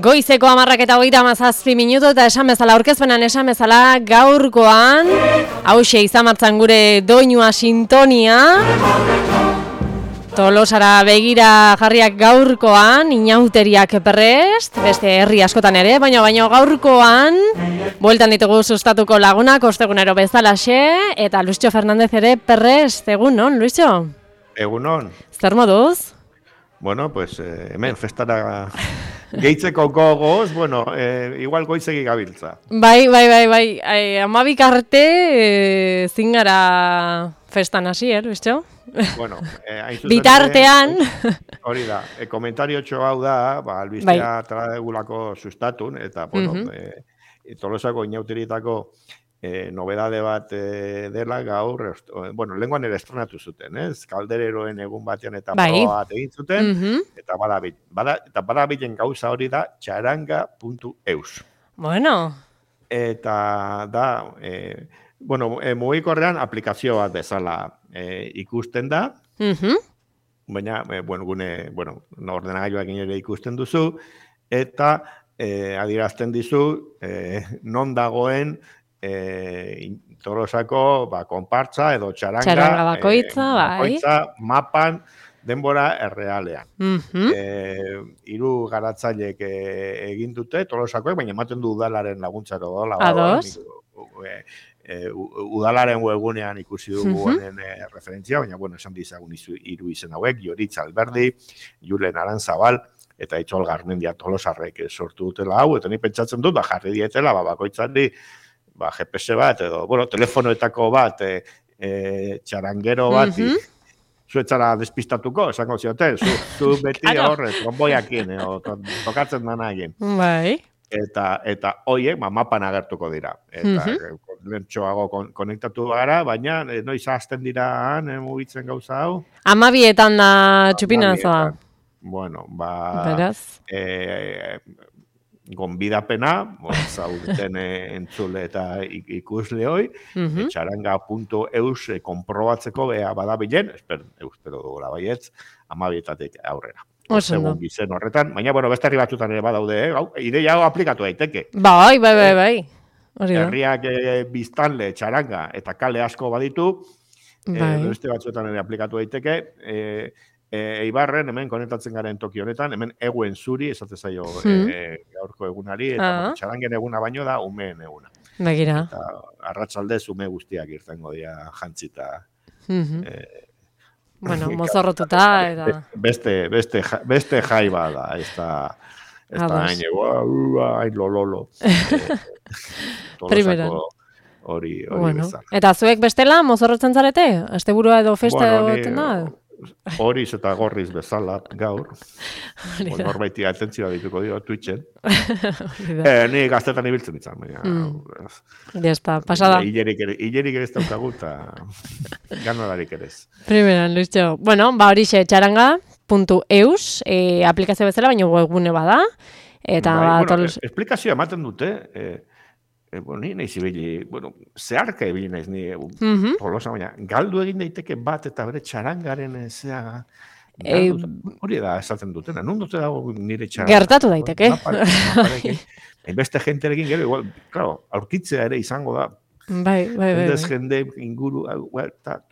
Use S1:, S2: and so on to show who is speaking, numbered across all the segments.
S1: Goizeko 10:37 eta esan bezala, aurkezpenan esan bezala, gaurkoan, hauxe izan martzan gure doinua sintonia, Tolosara begira jarriak gaurkoan, inauteriak prest, beste herri askotan ere, baina gaurkoan, bueltan ditugu sustatuko lagunak, ostegunero bezalaxe, eta Luisio Fernandez ere prest, egun non, Luisio?
S2: Egunon.
S1: Zer moduz?
S2: Bueno, pues hemen festara gehitzeko gogoz, bueno, igual goizegi gabiltza.
S1: Bai, 12 arte zingara festan hasi, Luisio?
S2: Bueno,
S1: bitartean.
S2: Hori da, komentario txo hau da, albistea traegulako sustatun, eta, bueno, Tolosako inauterietako nobedade bat dela gaur, bueno, lenguan ere estrenatu zuten, Kaldereroen egun batean eta proa bat egin zuten, eta badabilen gauza hori da txaranga.eus.
S1: Bueno.
S2: Eta da, bueno, mugikorrean aplikazio bat bezala ikusten da, baina, bueno, ordenagailuak ere ikusten duzu, eta adierazten dizu non dagoen Tolosako konpartza edo txaranga
S1: bakoitza,
S2: mapan denbora errealean. 3 garatzailek egin dute Tolosakoek, baina ematen du udalaren laguntzaro dola.
S1: Ados.
S2: Udalaren webgunean ikusi dugu honen referentzia, baina, bueno, esan dizagun 3 izen hauek, Joritz Alberdi, Julen Arantzabal, eta Itxol Garmendia Tolosarrek sortu dutela hau, eta ni pentsatzen dut, jarri dietela, bakoitzari, GPS bat, edo, bueno, telefonoetako bat, txarangero bat, zuetzara despistatuko, esango zioten, zu beti horre, tromboiakin, tokatzen danagin.
S1: Bai.
S2: Eta hoiek, mapan agertuko dira. Eta lentsoago konektatu gara, baina noiz hasten dira mugitzen gauza hau?
S1: 12etan da txupinazoa.
S2: Bueno,
S1: beraz.
S2: Gonbidapena, zaudeten entzule eta ikusle hoi, txaranga.eus konprobatzeko badabilen, espero dugula baietz, 12etatik aurrera. Segun bizen horretan, baina, bueno, beste herri batzutan ere badaude, ideia hau aplikatu daiteke.
S1: Bai.
S2: Herriak biztanle, txaranga eta kale asko baditu, beste batzuetan ere aplikatu daiteke, Eibarren, hemen konektatzen garen toki honetan, hemen eguen zuri, esate zaio gaurko egunari, eta txarangen eguna baino da, umeen eguna.
S1: Begira.
S2: Eta arratsaldez ume guztiak irtengo dira jantzita.
S1: Bueno, mozorrotuta, eta...
S2: Beste jai bada, ez da hain lololo.
S1: Primeran.
S2: Hori bezala.
S1: Eta zuek bestela, mozorrotzen zarete? Asteburua edo festa edo da?
S2: Horiz eta gorriz bezala gaur. Norbaiti atentzioa dituko dio Twitchen. Ni gaztetan ibiltzen ditzan.
S1: Jazta, pasada.
S2: Hilerik ere ez daukagu eta ganadarik ere ez.
S1: Primeran, Luisio. Bueno, horixe txaranga.eus aplikazio bezala, baina webgune bada. Eta
S2: esplikazioa ematen dute, ni nahi zibili, zeharka ibili naiz ni Tolosa, baina galdu egin daiteke bat eta bere txarangaren zea, hori da esaten dutena, non dute dago nire txaranga?
S1: Gertatu daiteke.
S2: Beste jenterekin gero, igual, claro, aurkitzea ere izango da.
S1: Bai.
S2: Jende inguru,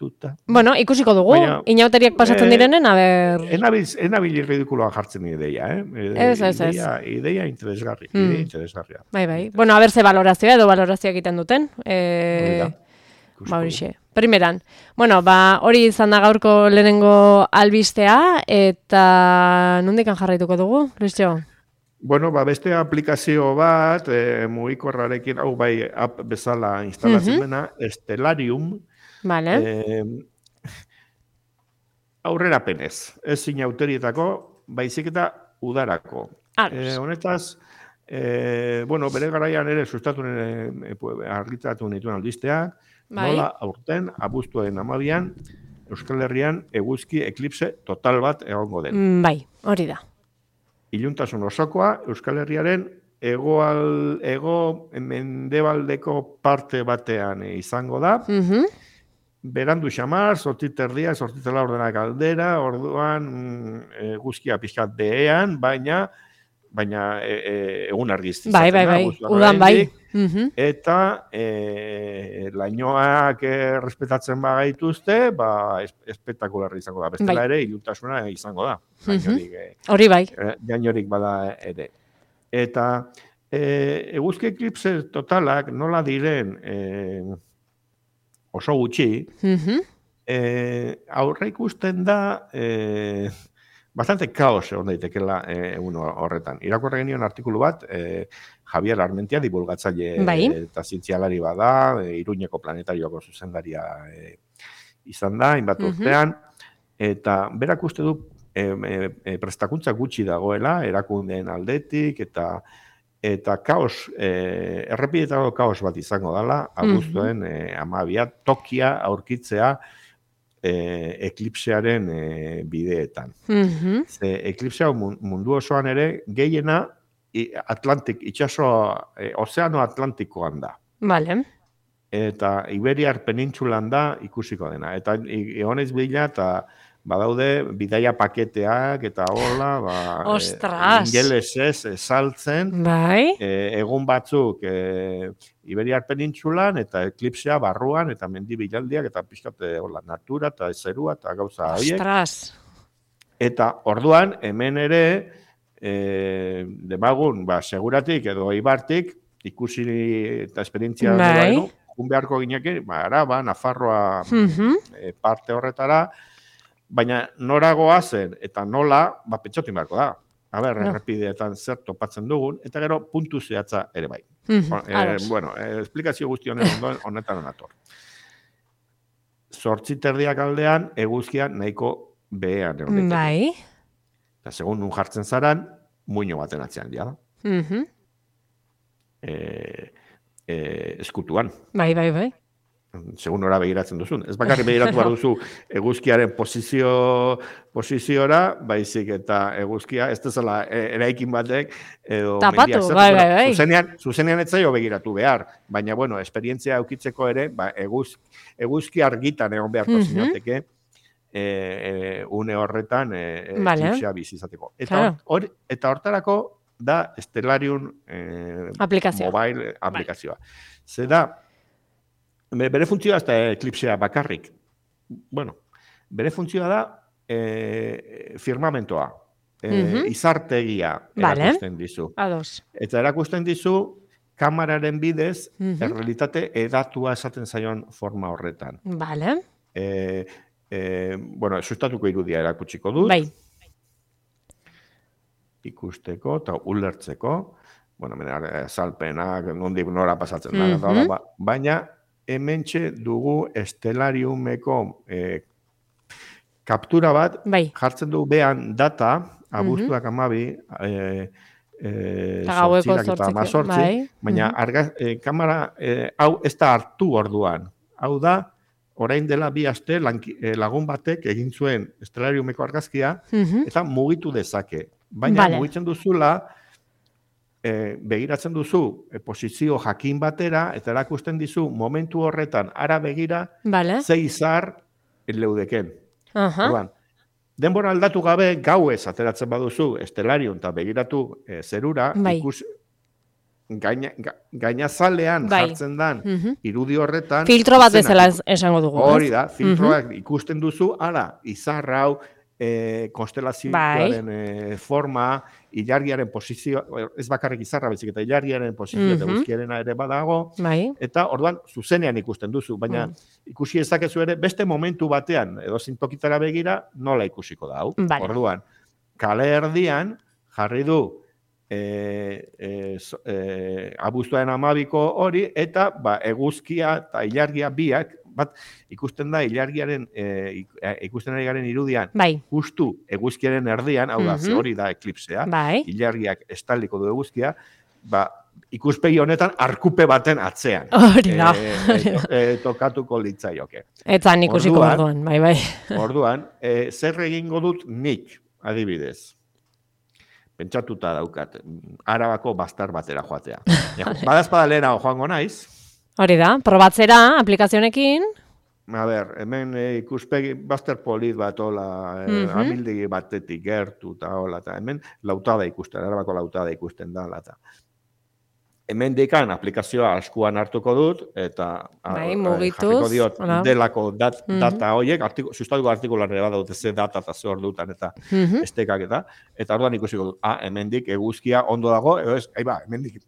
S2: tuta.
S1: Bueno, ikusiko dugu, inauteriak pasatzen direnen,
S2: Enabil ridikuloa jartzen ideia, Ideia interesgarria.
S1: Bai. Bueno, ze valorazioa edo valorazioa egiten duten. Horixe. Primeran. Bueno, hori izan da gaurko lehenengo albistea, eta nondikan jarraituko dugu, Luisio?
S2: Bueno, beste aplikazio bat, mugikorrarekin, hau bai app bezala instalatzen dena, Stellarium.
S1: Vale.
S2: Aurrerapenez, ez inauterietako, baizik eta udarako. Honetaz, bere garaian ere sustatu argitaratu nituen albisteak, nola aurten, abuztuaren 12an, Euskal Herrian eguzki eklipse total bat egongo den.
S1: Bai, hori da.
S2: Iluntasun osokoa, Euskal Herriaren mendebaldeko parte batean izango da, berandu xamar, 8:30, 8:40 aldera, orduan eguzkia pixkat behean, baina egun argizti
S1: Bai,
S2: izaten da,
S1: bai,
S2: abuztuan
S1: udan bai.
S2: oraindik, eta lainoak respetatzen bagaituzte, espetakularra izango da. Bestela ere, iluntasuna izango da.
S1: Hori bai.
S2: Gainorik bada ere. Eta eguzki eklipse totalak nola diren oso gutxi, aurre ikusten da bastante kaos egon daitekela egun horretan. Irakurri genion artikulu bat, Javier Armentia, divulgatzaile eta zientzialari bada, Iruñeko planetarioko zuzendaria izan da, hainbat urtean, eta berak uste du prestakuntza gutxi dagoela, erakundeen aldetik, eta kaos, errepidetako kaos bat izango dela, abuztuen 12 tokia aurkitzea eklipsearen bideetan. Ze eklipsea mundu osoan ere gehiena ozeano Atlantikoan da.
S1: Vale.
S2: Eta Iberiar penintsulan da ikusiko dena. Eta egonez bila eta badaude bidaia paketeak eta hola, ingelesez saltzen, egun batzuk Iberiar penintsulan eta eklipsea barruan eta mendi bilaldiak eta pixkate natura eta zerua eta gauza horiek.
S1: Ostras!
S2: Eta orduan hemen ere demagun seguratik edo ibartik ikusi eta esperientzia dela jun beharko ginekin, Araba, Nafarroa parte horretara, baina nora goazen eta nola, pentsotin beharko da. Errepideetan zer topatzen dugun, eta gero puntu zehatza ere bai. Bueno, esplikazio guzti honetan nator. 8:30 aldean eguzkia nahiko behean egon daiteke.
S1: Bai.
S2: Eta segun nun jartzen zaran, muino baten atzean dira da. Eskutuan.
S1: Bai.
S2: Segun ora begiratzen duzun. Ez bakarrik begiratu behar duzu eguzkiaren posiziora, baizik eta eguzkia, ez dezala eraikin batek, edo
S1: tapatu, bai.
S2: Zuzenean ez zaio begiratu behar, baina, bueno, esperientzia eukitzeko ere, eguzki argitan egon beharko zinateke, une horretan eklipsea bizizateko. Eta hortarako da Stellarium mobile aplikazioa. Zer da, bere funtzioa ez da eklipsea bakarrik. Bueno, bere funtzioa da firmamentoa, izartegia erakusten dizu. Eta erakusten dizu kameraren bidez errealitate edatua esaten zaion forma horretan.
S1: Vale.
S2: Bueno, sustatuko irudia erakutsiko dut.
S1: Bai.
S2: Ikusteko eta ulertzeko. Bueno, salpenak, nondik nora pasatzen da. Baina, hementxe dugu Stellariumeko kaptura bat, jartzen du behan data, abuztuak 12, sortzirak eta 18, baina kamera hau ez da hartu orduan. Hau da, orain dela 2 aste lagun batek egin zuen Stellariumeko argazkia, eta mugitu dezake. Baina mugitzen duzula, begiratzen duzu posizio jakin batera, eta erakusten dizu momentu horretan ara begira, ze izar leudeken. Denbora aldatu gabe gauez ateratzen baduzu Stellarium eta begiratu zerura, gainazalean jartzen dan irudi horretan.
S1: Filtro bat bezala esango dugu.
S2: Hori da, filtroak ikusten duzu, izar hau, konstelazioaren forma, ilargiaren posizio, ez bakarrik izarra bezik, eta ilargiaren posizio eta guzkiarena ere badago, eta orduan zuzenean ikusten duzu, baina ikusi ezakezu ere beste momentu batean, edo zintokitara begira, nola ikusiko da hau. Orduan, kale erdian jarri du abuztuaren 12ko hori, eta eguzkia eta ilargia biak, bat ikusten da ikusten ari garen irudian, justu eguzkiaren erdian, hau da, hori da eklipsea, ilargiak estaliko du eguzkia, ikuspegi honetan arkupe baten atzean.
S1: Hori da.
S2: Tokatuko litzaioke.
S1: Etzan ikusiko orduan, bai.
S2: Orduan, zer egingo dut nik, adibidez? Pentsatuta daukat, Arabako bastar batera joatea. Badazpada lehena joango naiz.
S1: Hori da, probatzera aplikazionekin.
S2: A ber, hemen ikuspegi bazter polit bat, hola, amildegi batetik gertu, eta hola, eta hemen lautada ikusten, Arabako lautada ikusten da, eta hemen dikan aplikazioa askuan hartuko dut, eta jarriko diot delako data horiek, sustatuko artikulan ere badaute ze data eta ze hor dutan, eta estekak eta orduan ikusiko dut, hemen dik eguzkia ondo dago, edo ez, hemen dik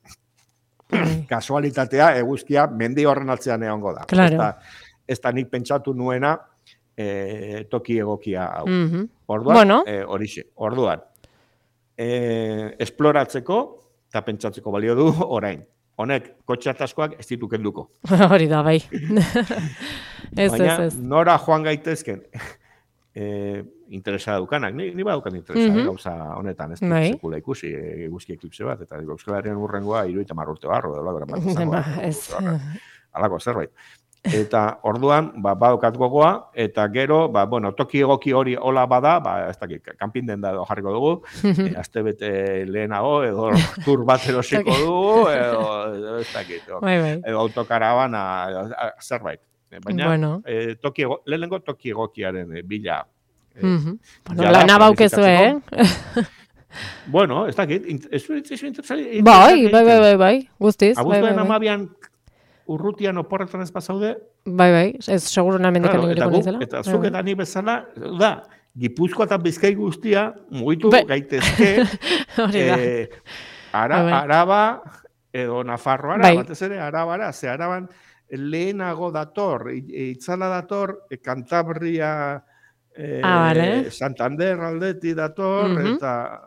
S2: kasualitatea eguzkia mendi horren atzean egongo da.
S1: Claro.
S2: Ez da nik pentsatu nuena toki egokia hau. Orduan, horixe. Orduan, esploratzeko eta pentsatzeko balio du orain. Honek, kotxe ataskoak ez ditu kenduko.
S1: Hori da, bai.
S2: Baina, nora joan gaitezken interesa daukanak. Ni badaukan interesa, gauza honetan, ez dut sekula ikusi, eguzki eklipse bat, eta Euskal Herrian urrengoa 30 urte barro, alako zerbait. Eta orduan, badokat gogoa, eta gero, toki egoki hori hola bada, ez dakit, kanpin den da jarriko dugu, astebete lehenago, edo tur bat erosiko dugu, edo ez dakit, edo autokarabana, zerbait. Baina, lehenengo toki egokiaren bila.
S1: Lana baukezu,
S2: Bueno, ez dakit, ez interesari.
S1: Bai, guztiz.
S2: Abuztuen amabian, urrutian oporretan ez bazaude.
S1: Bai, ez seguro namendikan inguriko nizela.
S2: Eta zuk eta ni bezala, da, Gipuzkoa eta Bizkai guztia mugitu gaitezke Araba edo Nafarroara, batez ere Arabara, ze Araban lehenago dator, itzala dator, Cantabria, Santander aldeti dator, eta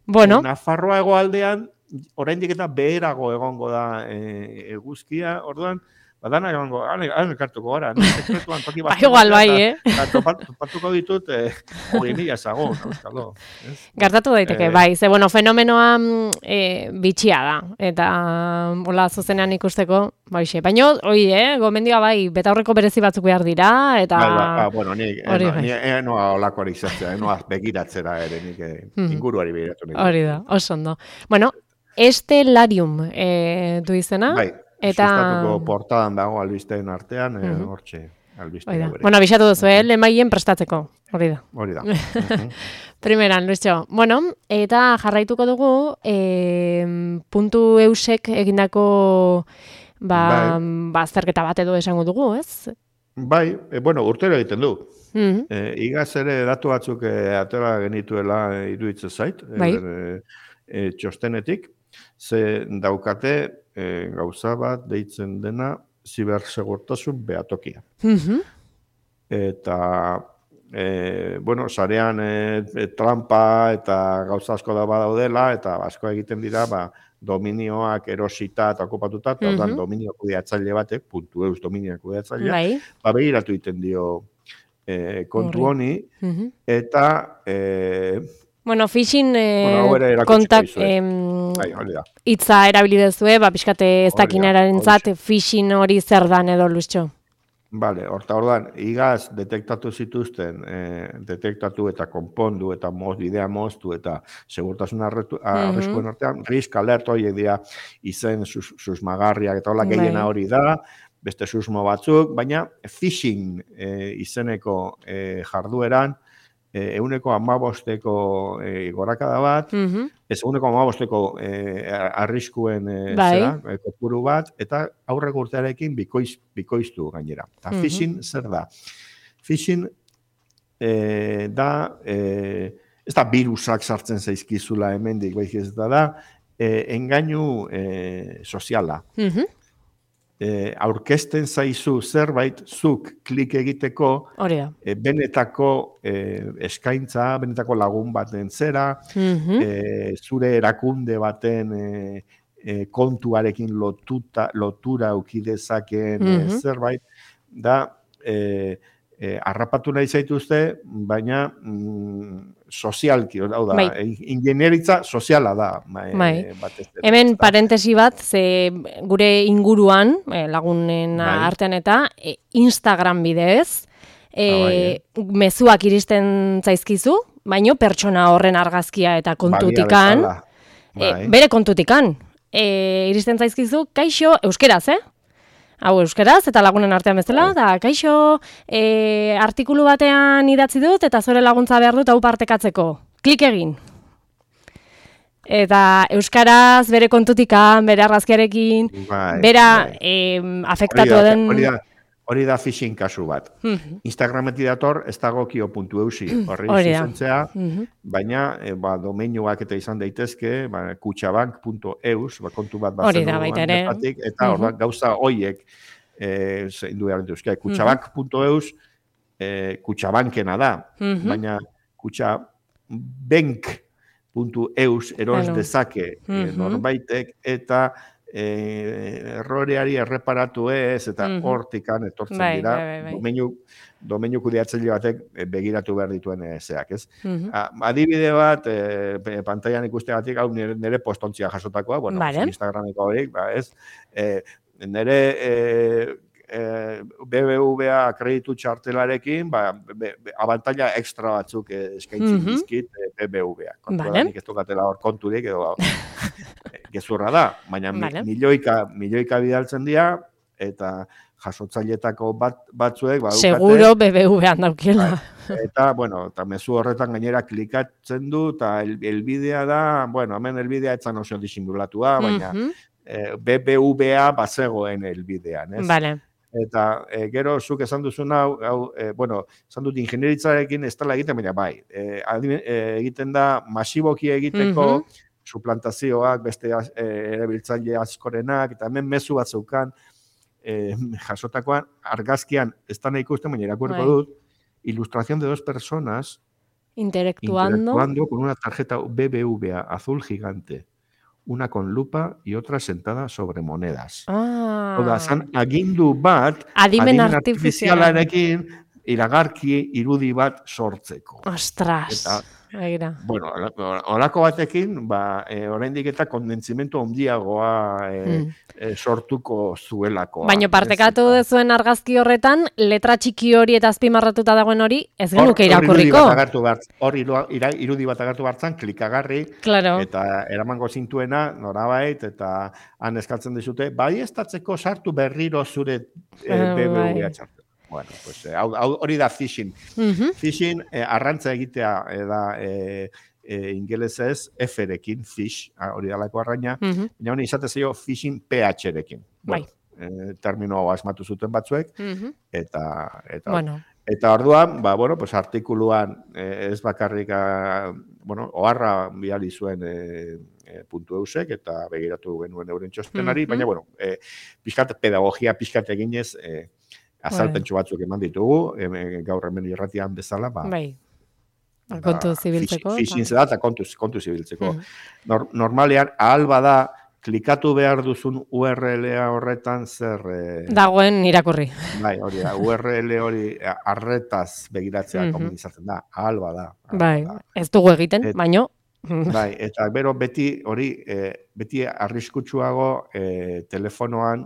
S2: Nafarroa hegoaldean oraindik eta beherago egongo da eguzkia, orduan, badana egongo, elkartuko gara, sekretuan toki bat.
S1: Igual bai,
S2: Topatuko ditut, 20.000 ezagun, euskalo.
S1: Gertatu daiteke, bai, ze, fenomenoa bitxia da, eta hola zuzenean ikusteko, baixe. Baina, gomendioa bai, betaurreko berezi batzuk behar dira, eta...
S2: Ni noa olakoari izatzea, noa begiratzera ere, nik inguruari begiratu.
S1: Hori da, oso ondo. Bueno, Estelarium du izena.
S2: Bai, sustatuko portadan dago albisteen artean, hortxe albistea.
S1: Bueno, abixatu duzu, lemaien prestatzeko, hori da.
S2: Hori da.
S1: Primeran, Luistxo. Bueno, eta jarraituko dugu, puntu eusek egindako azterketa bat edo esango dugu, ez?
S2: Bai, urtero egiten du. Igaz ere datu batzuk atera genituela iruditzen zait, txostenetik, ze daukate gauza bat deitzen dena zibersegurtasun behatokia. Eta, sarean trampa eta gauza asko da badaudela, eta asko egiten dira, dominioak erosita eta okupatuta, eta dominio kudeatzaile batek, puntu eus dominio kudeatzailea, begiratu egiten dio kontu honi, eta...
S1: phishing hitza erabilidezue, pixkate ez dakinerarentzat phishing hori zer dan edo, Luistxo?
S2: Bale, orduan, igaz detektatu zituzten, detektatu eta konpondu eta bidea moztu eta segurtasun arriskuen artean, risk alert horiek dira izen susmagarriak eta hola gehiena hori da, beste susmo batzuk, baina phishing izeneko jardueran, 1,15ko gorakada bat, ez 1,15ko arriskuen kopuru bat, eta aurreko urtearekin bikoiztu gainera. Eta phishing zer da? Phishing da, ez da virusak sartzen zaizkizula hemendik, baizik ez da, engainu soziala. Aurkezten zaizu zerbait zuk klik egiteko benetako eskaintza, benetako lagun baten zera, zure erakunde baten kontuarekin lotura ukidezakeen zerbait, da harrapatu nahi zaituzte, baina sozialki, hau da, ingenieritza soziala da.
S1: Hemen parentesi bat, ze gure inguruan, lagunen artean eta, Instagram bidez, mezuak iristen zaizkizu, baino pertsona horren argazkia eta kontutikan, bere kontutikan, iristen zaizkizu, kaixo, euskeraz, hau euskeraz, eta lagunen artean bezala, da, kaixo, artikulu batean idatzi dut, eta zure laguntza behar dut hau partekatzeko. Klik egin. Eta euskaraz, bere kontutikan, bere argazkiarekin, bera afektatu den...
S2: Hori da phishing kasu bat. Instagrametik dator, ez dagokio.eusi, horri zuzentzea, baina domeinuak eta izan daitezke, kutxabank.eus, kontu bat bazen eta hor gauza hoiek zeindu behar dituzke. Kutxabank.eus kutxabankena da, baina kutxabank.eus eros dezake norbaitek eta erroreari erreparatu ez, eta hortikan etortzen dira, domeinu kudeatzaile batek begiratu behar dituen zeak, ez? Adibide bat, pantailan ikusteagatik, hau nire postontzia jasotakoa, bueno, Instagrameko horiek, ez? Nire BBVA kreditu txartelarekin, abantaila ekstra batzuk eskaintzen dizkit BBVA. Kontuadanik ez dukatela hor konturik, edo gezurra da, baina milioika bidaltzen dira, eta jasotzailetako batzuek...
S1: Seguro BBVA daukiela.
S2: Eta, bueno, eta mezu horretan gainera klikatzen du, eta elbidea da, bueno, hemen elbidea etzan oso disimulatua, baina BBVA bazegoen elbidean, ez?
S1: Vale.
S2: Eta gero zuk esan duzun hau, bueno, esan dut ingenieritzarekin ez dela egiten, baina bai, egiten da masiboki egiteko suplantazioak, beste erabiltzaile askorenak, eta hemen mezu bat zeukan jasotakoan, argazkian ez da nahi ikusten, baina irakurriko dut, ilustración de dos personas interactuando con una tarjeta BBVA azul gigante. Una con lupa y otra sentada sobre monedas. Oda, zan agindu bat, adimen artifizialarekin iragarki irudi bat sortzeko.
S1: Ostras, egira.
S2: Bueno, horako batekin, oraindik eta kondentzimentu handiagoa sortuko zuelako.
S1: Baina partekatu dezuen argazki horretan, letra txiki hori eta azpimarratuta dagoen hori, ez genuke irakurriko.
S2: Hor irudi bat agertu bartzan, klikagarri, eta eramango zintuena, norabait, eta han eskatzen dizute, bai estatzeko sartu berriro zure BBVA txartu. Bueno, pues hori da phishing. Phishing arrantza egitea da ingelesez F-rekin, fish, hori dalako arraina, baina honi izate zeio phishing PH-rekin. Termino asmatu zuten batzuek, eta orduan, pues artikuluan ez bakarrik, oharra bidali zuen .eusek, eta begiratu genuen euren txostenari, baina, pixkat pedagogia pixkat eginez, azalpentsu batzuk eman ditugu, gaur hemen irratian bezala,
S1: kontu zibiltzeko.
S2: Phishing zeda eta kontu zibiltzeko. Normalean, ahal bada, klikatu behar duzun URL-a horretan zer...
S1: Dagoen irakurri.
S2: Bai, hori da, URL hori arretaz begiratzea komunizatzen da, ahal bada.
S1: Bai, ez dugu egiten, baino...
S2: Bai, eta bero beti arriskutsuago telefonoan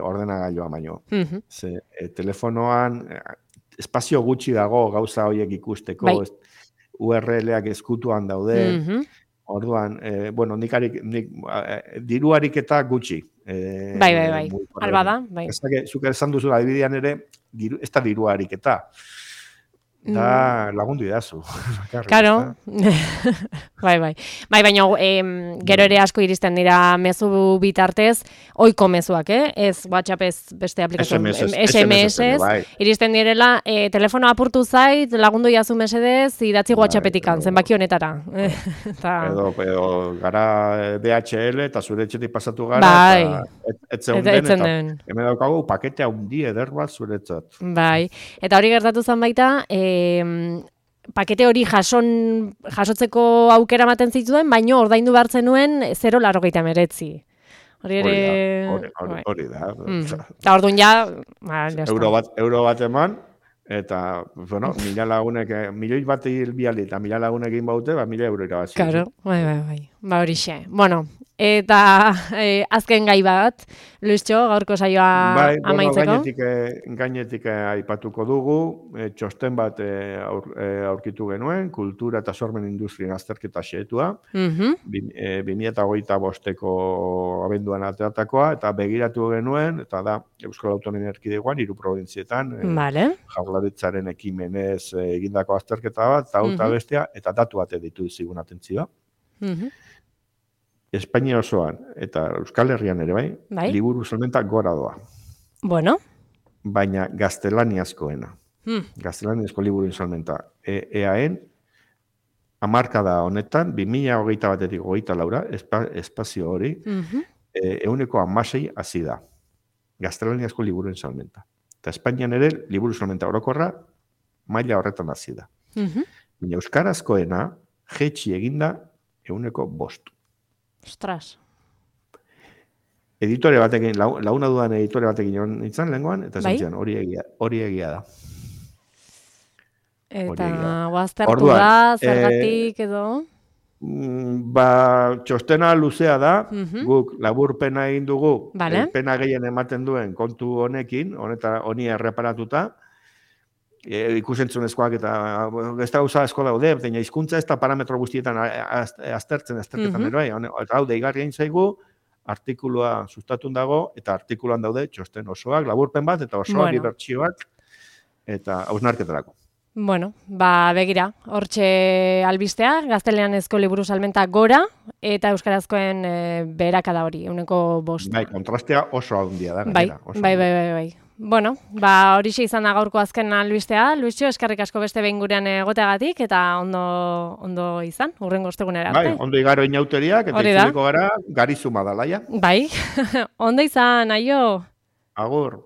S2: ordenagailua baino. Telefonoan espazio gutxi dago gauza horiek ikusteko, URL-ak ezkutuan daude, orduan, nik diruarik eta gutxi.
S1: Bai, alba da.
S2: Zuk esan duzu adibidean ere, ez da diruarik eta. Da lagundu idazu.
S1: Karo. Bai, baina gero ere asko iristen dira mezu bitartez, ohiko mezuak, ez WhatsApp ez beste aplikazio, SMS, iristen direla, telefono apurtu zait, lagundu iazu mesedez, idatzi WhatsAppetikan, zenbaki honetara.
S2: Edo gara DHL eta zure etxetik pasatu gara, etzen den, hemen daukagu paketea hundi eder bat zuretzat.
S1: Bai, eta hori gertatu zen baita, pakete hori jasotzeko aukera ematen zituen, baino ordaindu behar zenuen 0,89. Hori ere...
S2: Hori da.
S1: Eta orduan ja...
S2: Euro bat eman, eta, mila lagunek, milioi bat biali eta mila lagunekin baute, 1.000 euro irabazio.
S1: Claro, bai. Hori xe. Bueno, Eta azken gai bat, Luistxo, gaurko saioa amaitzeko.
S2: Gainetik aipatuko dugu, txosten bat aurkitu genuen, kultura eta sormen industrien azterketa xeetua, 2025ko abenduan ateratakoa, eta begiratu genuen, eta da Euskal Autonomia Erkidegoan, 3 probintzietan, Jaurlaritzaren ekimenez egindako azterketa bat, eta bestea, eta datu bat ditu zigun atentzioa. Espainia osoan eta Euskal Herrian ere bai, liburu salmenta gora doa.
S1: Bueno.
S2: Baina gaztelaniazkoena. Gaztelaniazko liburu salmenta. EAen, hamarkada honetan, 2021-etik 24 espazio hori, 116 hazi da. Gaztelaniazko liburu salmenta. Eta Espainian ere, liburu salmenta orokorra, maila horretan hazi da. Baina euskarazkoena, jetxi eginda, 105.
S1: Ostras.
S2: Editore batekin, launa dudan editore batekin nintzen lehenkoan, eta esan hori egia da.
S1: Eta guaztertu da, zergatik edo?
S2: Txostena luzea da, guk laburpena egin dugu, pena gehien ematen duen kontu honekin, honi erreparatuta, ikusentzunezkoak eta ez da gauza asko daude, baina hizkuntza ez da parametro guztietan azterketan ere, eta hau deigarri egin zaigu, artikulua sustatun dago, eta artikuluan daude txosten osoak, laburpen bat, eta osoak dibertsioak, eta hausnarketarako.
S1: Bueno, begira, hortxe albistea, gaztelaniazko liburu salmenta gora, eta euskarazkoen beherakada hori, 105.
S2: Bai, kontrastea oso handia da.
S1: Bai. Bueno, horixe izan da gaurko azken albistea. Luistxo, eskerrik asko beste behin gurean egoteagatik, eta ondo izan, hurrengo ostegunera arte.
S2: Bai, ondo igaro inauteriak, eta itzuliko gara, garizuma da, laia.
S1: Bai, ondo izan, aio.
S2: Agur.